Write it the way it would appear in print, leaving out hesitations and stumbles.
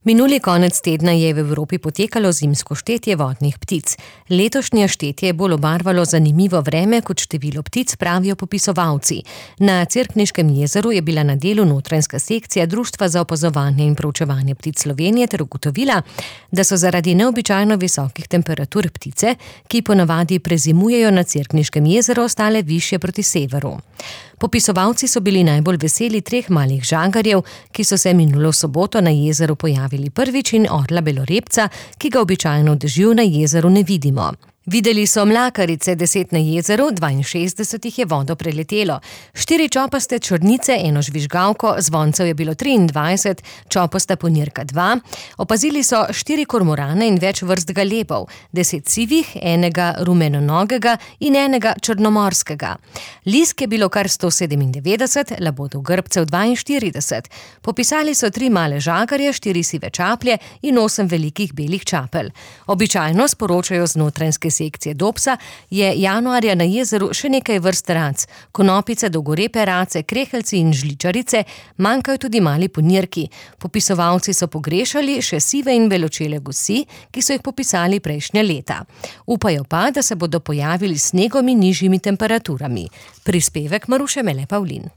Minuli konec tedna je v Evropi potekalo zimsko štetje vodnih ptic. Letošnje štetje je bolj obarvalo zanimivo vreme kot število ptic, pravijo popisovalci. Na Cerkniškem jezeru je bila na delu notranjska sekcija Društva za opazovanje in proučevanje ptic Slovenije ter ugotovila, da so zaradi neobičajno visokih temperatur ptice, ki ponavadi prezimujejo na Cerkniškem jezeru, ostale višje proti severu. Popisovalci so bili najbolj veseli 3 malih žagarjev, ki so se minulo soboto na jezeru pojavili prvič, in orla belorepca, ki ga običajno v dežju na jezeru ne vidimo. Videli so mlakarice, 10 na jezeru, 62 jih je vodo preletelo, 4 čopaste črnice, 1 žvižgalko, zvoncev je bilo 23, čopasta ponirka 2, opazili so 4 kormorane in več vrst galebov, 10 sivih, 1 rumenonogega in 1 črnomorskega. Lisk je bilo kar 197, labodov grbcev 42. Popisali so 3 male žagarje, 4 sive čaplje in 8 velikih belih čapelj. Običajno, sporočajo z notranjske sekcije Dobsa, je januarja na jezeru še nekaj vrst rac, konopice, dolgorepe race, kreheljci in žličarice, manjkajo tudi mali ponirki. Popisovalci so pogrešali še sive in beločele gosi, ki so jih popisali prejšnja leta. Upajo pa, da se bodo pojavili s snegom in nižjimi temperaturami. Prispevek Maruše Mele Pavlin.